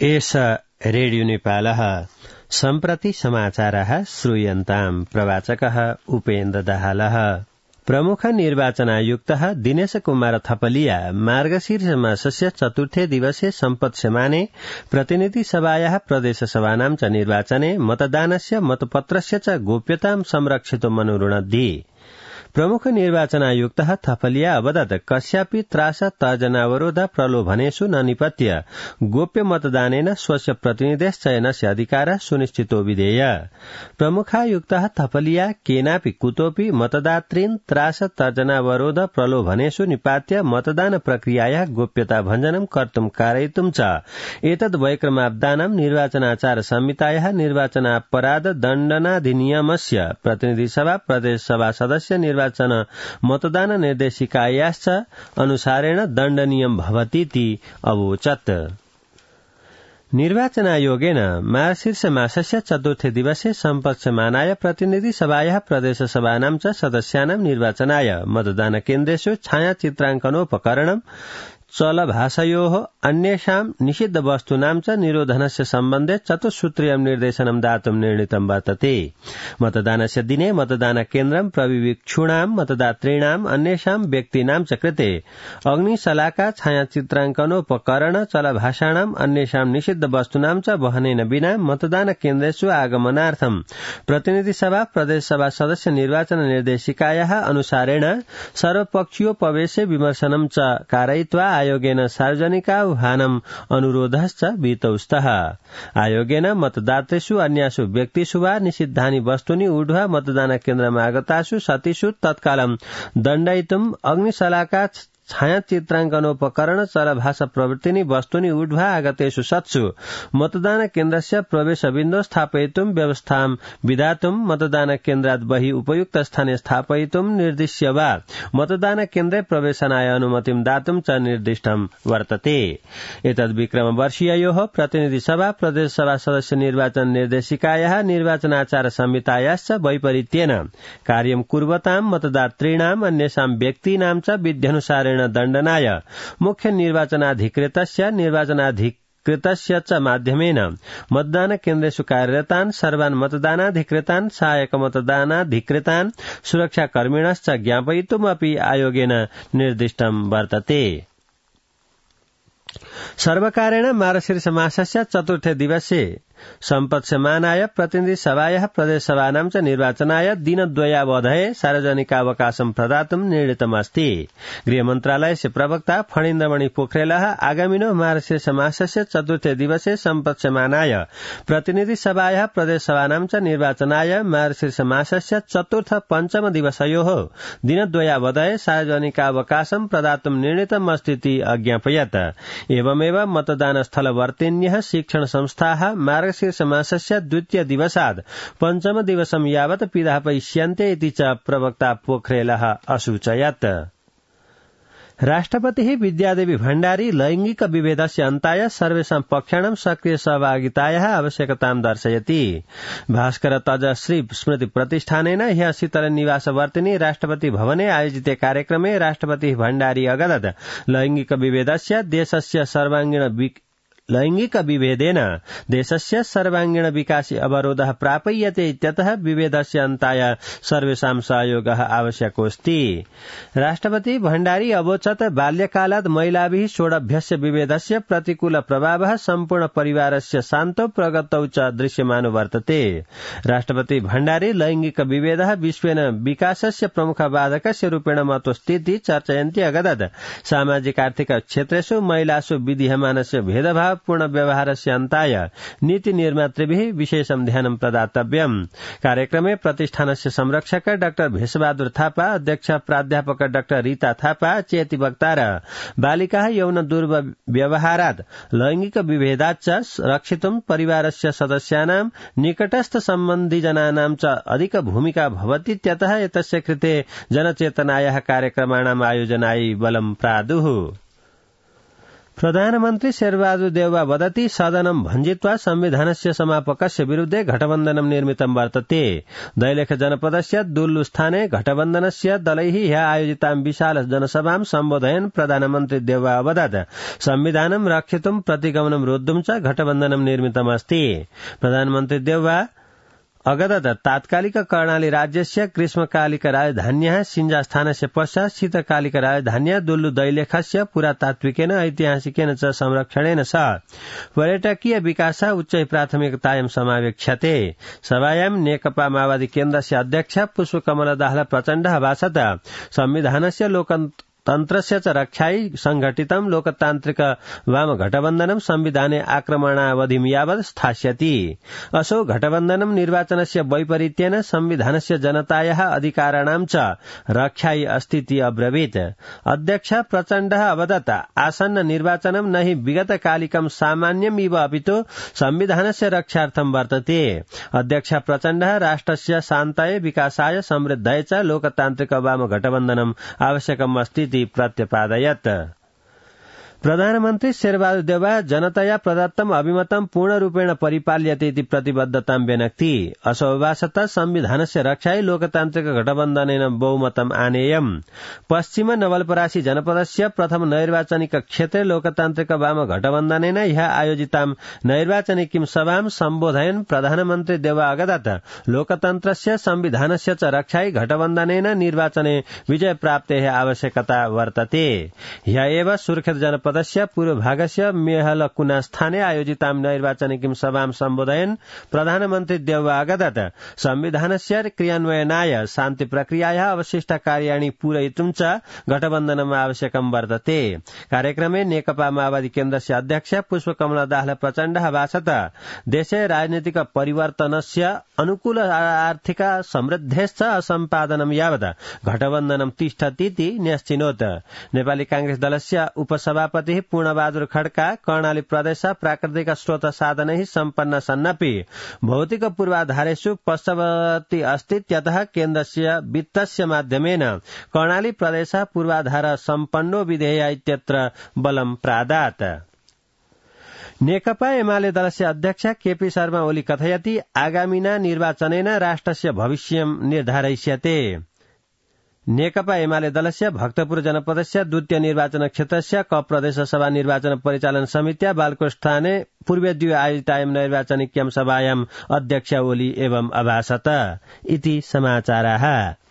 एष रेडियो नेपालः सम्प्रति समाचारः श्रूयन्ताम् प्रवाचकः उपेन्द्र दाहालः। प्रमुख निर्वाचनायुक्तः दिनेश कुमार थपलिया मार्गशीर्ष मासस्य चतुर्थे दिवसे सम्पत्स्यमाने प्रतिनिधि सभायाः प्रदेशसभानां च निर्वाचने मतदानस्य मतपत्रस्य च गोप्यतां संरक्षितुम् अनुरुणद्धि। प्रमुख निर्वाचनायुक्तः थपलिया अवदत् कस्यापि त्रास तर्जनावरोध प्रलोभनेषु न निपत्य गोप्य मतदानेन स्वस्य प्रतिनिधेश्चयनस्य अधिकारः सुनिश्चितो विधेय। प्रमुखायुक्तः थपलिया केनापि कुतोऽपि मतदातॄन् त्रास तर्जनावरोध प्रलोभनेषु निपात्य मतदान प्रक्रियायाः गोप्यता भञ्जनं कर्तुं कारयितुं च एतद् वैक्रमाब्दानं निर्वाचनाचार संहितायाः निर्वाचनापराध दण्डनाधिनियमस्य प्रतिनिधिसभा प्रदेशसभा सदस्य निर्वाचन मतदान निर्देशिकायाश्च अनुसारेण दण्डनीयं भवतीति अवोचत्। निर्वाचनायोगेन मार्गशीर्ष मासस्य चतुर्थे दिवसे सम्पत्स्यमानाय प्रतिनिधि सभायाः प्रदेशसभानां च सदस्यानां निर्वाचनाय मतदान केन्द्रेषु छायाचित्राङ्कनोपकरणं चलभाषयोः अन्येषां निषिद्ध वस्तूनां च निरोधनस्य सम्बन्धे चतुस्सूत्रीयं निर्देशनं दातुं निर्णीतं वर्तते। मतदानस्य दिने मतदान केन्द्रं प्रविवीक्षूणां मतदातॄणाम् अन्येषां व्यक्तीनां च कृते अग्निशलाका छायाचित्राङ्कनोपकरण चलभाषाणाम् अन्येषां निषिद्ध वस्तूनां च वहनेन विना मतदान केन्द्रेषु आगमनार्थं प्रतिनिधि सभा प्रदेशसभा सदस्य निर्वाचन निर्देशिकायाः अनुसारेण सर्वपक्षीयोपवेशे विमर्शनं च कारयित्वा आयोगेन सार्वजनिकाह्वानम् अनुरोधश्च विहितौस्तः। आयोगेन मतदातृषु अन्यासु व्यक्तिषु वा निषिद्धानि वस्तूनि ऊढ्वा मतदान केन्द्रमागतासु सतिषु तत्कालं दण्डयितुम् अग्निशलाका छायाचित्राङ्कनोपकरण चलभाषा प्रवृत्तिनि वस्तूनि ऊढ्वा आगतेषु सत्सु मतदान केन्द्रस्य प्रवेशबिन्दौ स्थापयितुं व्यवस्थां विधातुं मतदान केन्द्रात् बहिः उपयुक्त स्थाने स्थापयितुं निर्दिश्य वा मतदान केन्द्रे प्रवेशनाय अनुमतिं दातुं च निर्दिष्टं वर्तते। एतद्विक्रमवर्षीययोः प्रतिनिधि सभा प्रदेशसभा सदस्य निर्वाचन निर्देशिकायाः निर्वाचनाचार संहितायाश्च वैपरीत्येन कार्यं कुर्वतां मतदातॄणाम् अन्येषां व्यक्तीनां च विध्यनुसारेण दण्डनाय मुख्य निर्वाचनाधिकृतस्य निर्वाचनाधिकृतस्य च माध्यमेन मतदान केन्द्रेषु कार्यरतान् सर्वान् मतदानाधिकृतान् सहायक मतदानाधिकृतान् सुरक्षाकर्मिणश्च ज्ञापयितुमपि आयोगेन निर्दिष्टं वर्तते। सर्वकारेण मार्गशीर्ष मासस्य चतुर्थे दिवसे सम्पत्स्यमानाय प्रतिनिधि सभायाः प्रदेशसभानां च निर्वाचनाय दिनद्वयावधये सार्वजनिकावकाशं प्रदातुं निर्णीतमस्ति। गृहमन्त्रालयस्य प्रवक्ता फणीन्द्रमणि पोखरेलः आगामिनो मार्गशीर्ष मासस्य चतुर्थे दिवसे सम्पत्स्यमानाय प्रतिनिधि सभायाः प्रदेशसभानां च निर्वाचनाय मार्गशीर्ष मासस्य चतुर्थ पञ्चम दिवसयोः दिनद्वयावधये सार्वजनिकावकाशं प्रदातुं निर्णीतमस्तीति अज्ञापयत्। एवमेव मतदानस्थलवर्तिन्यः शिक्षण संस्थाः मार्गशीर्ष मासस्य द्वितीय दिवसात् पञ्चम दिवसं यावत् पिधापयिष्यन्ते इति च प्रवक्ता पोखरेलः असूचयत्। राष्ट्रपतिः विद्यादेवी भण्डारी लैंगिक विभेदस्य अन्ताय सर्वेषां पक्षाणां सक्रिय सहभागितायाः आवश्यकतां दर्शयति। भास्कर तजश्री स्मृति प्रतिष्ठानेन ह्यः शीतल निवासवर्तिनी राष्ट्रपति भवने आयोजिते कार्यक्रमे राष्ट्रपतिः भण्डारी अगदत् लैंगिक विभेदेन देशस्य सर्वांगीण विकासे अवरोधः प्रापय्यते इत्यतः विभेदस्य अन्ताय सर्वेषां सहयोगः आवश्यकोऽस्ति। राष्ट्रपति भण्डारी अवोचत् बाल्यकालात् महिलाभिः षोडभ्यस्य विभेदस्य प्रतिकूल प्रभावः सम्पूर्ण परिवारस्य शान्तौ प्रगतौ च दृश्यमानो वर्तते। राष्ट्रपति भण्डारी लैंगिक विभेदः विश्वेन विकासस्य प्रमुख बाधकस्य रूपेण महत्त्वस्थिति चर्चयन्ती अगदत् सामाजिक आर्थिक क्षेत्रेषु महिलासु विद्यमानस्य भेदभाव पूर्ण व्यवहारस्य अन्ताय नीति निर्मातृभिः विशेषं ध्यानं प्रदातव्यम्। कार्यक्रमे प्रतिष्ठानस्य संरक्षक डाक्टर भेषबहादुर थापा, अध्यक्ष प्राध्यापक डाक्टर रीता थापा, चेति वक्तार बालिकाः यौन दुर्व्यवहारात् लैंगिक विभेदाच्च रक्षितुं परिवारस्य सदस्यानां निकटस्थ सम्बन्धिजनानां च अधिक भूमिका भवतीत्यतः एतस्य कृते जनचेतनायाः कार्यक्रमाणाम् आयोजनाय बलं प्रादुः। प्रधानमन्त्री शेरबहादुर देउवा वदति सदनं भञ्जित्वा संविधानस्य समापकस्य विरुद्धे घटबन्धनं निर्मितं वर्तते। दैलेख जनपदस्य दुल्लुस्थाने घटबन्धनस्य दलैः ह्यः आयोजितां विशाल जनसभां सम्बोधयन् प्रधानमन्त्री देउवा अवदत् संविधानं रक्षितुं प्रतिगमनं रोद्धुं च घटबन्धनं निर्मितमस्ति। प्रधानमन्त्री देउवा अगदत तात्कालिक कर्णाली राज्यस्य ग्रीष्मकालिक राजधान्यः सिञ्जास्थानस्य पश्चात् शीतकालिक राजधान्यः दुल्लु दैलेखस्य पुरातात्विकेन ऐतिहासिकेन च संरक्षणेन सह पर्यटकीय विकासः उच्चै प्राथमिकतायां समावेक्ष्यते। सभायां नेकपा माओवादी केन्द्रस्य अध्यक्ष पुष्पकमल दाहाल प्रचण्डः भाषत संविधानस्य लोकतन्त्रस्य च रक्षायै संघटितं लोकतान्त्रिक वाम घटबन्धनं संविधाने आक्रमणावधिं यावत् स्थास्यति। असौ घटबन्धनं निर्वाचनस्य वैपरीत्येन संविधानस्य जनतायाः अधिकाराणां च रक्षायै अस्तीति अब्रवीत्। अध्यक्ष प्रचण्डः अवदत् आसन्न निर्वाचनं न हि विगतकालिकं सामान्यमिव अपितु संविधानस्य रक्षार्थं वर्तते। अध्यक्ष प्रचण्डः राष्ट्रस्य शान्ताय विकासाय समृद्धाय च लोकतान्त्रिक वाम घटबन्धनम् आवश्यकम् अस्ति प्रत्यपादयत्। प्रधानमन्त्री शेरबहादुर देउवा जनतया प्रदत्तम् अभिमतं पूर्णरूपेण परिपाल्यते इति प्रतिबद्धतां व्यनक्ति। असौ भाषत संविधानस्य रक्षायै लोकतान्त्रिक घटबन्धनेन बहुमतम् आनेयम्। पश्चिम नवलपरासी जनपदस्य प्रथम नैर्वाचनिक क्षेत्रे लोकतान्त्रिक वाम घटबन्धनेन ह्यः आयोजितां नैर्वाचनिकीं सभां सम्बोधयन् प्रधानमन्त्री देउवा अगदत् लोकतन्त्रस्य संविधानस्य च रक्षायै घटबन्धनेन निर्वाचने विजय प्राप्तेः आवश्यकता वर्तते। ह्यः एव सुर्खेत जनपद पूर्वभागस्य मेहलकुना स्थाने आयोजितां नैर्वाचनिकीं सभां सम्बोधयन् प्रधानमन्त्री देउवा अगदत् संविधानस्य क्रियान्वयनाय शान्ति प्रक्रियायाः अवशिष्ट कार्याणि पूरयितुं च घटबन्धनम् आवश्यकं वर्तते। कार्यक्रमे नेकपा माओवादी केन्द्रस्य अध्यक्ष पुष्पकमल दाहाल प्रचण्डः भाषत देशे राजनीतिक परिवर्तनस्य अनुकूल आर्थिक समृद्धेश्च असम्पादनं यावत् घटबन्धनं तिष्ठतीति न्यश्चिनोत्। नेपाली कांग्रेस दलस्य उपसभापति पूर्णबहादुर खड्का कर्णाली प्रदेश प्राकृतिक स्रोत साधनैः सम्पन्न सन्नपि भौतिक पूर्वाधारेषु पश्चावती अस्तीत्यतः केन्द्रस्य वित्तस्य माध्यमेन कर्णाली प्रदेश पूर्वाधार सम्पन्नो विधेय इत्यत्र बलं प्रादात्। नेकपा एमाले दलस्य अध्यक्ष केपी शर्मा ओली कथयति आगामिना निर्वाचनेन राष्ट्रस्य भविष्यं निर्धारयिष्यते। नेकपा एमाले दलस्य भक्तपुर जनपदस्य द्वितीय निर्वाचन क्षेत्रस्य क प्रदेश सभा निर्वाचन परिचालन समित्या बालकोष्ठाने पूर्वेद्वय आयोजितायां नैर्वाचनिक्यां सभायां अध्यक्ष ओली एवं अभाषत इति समाचाराः।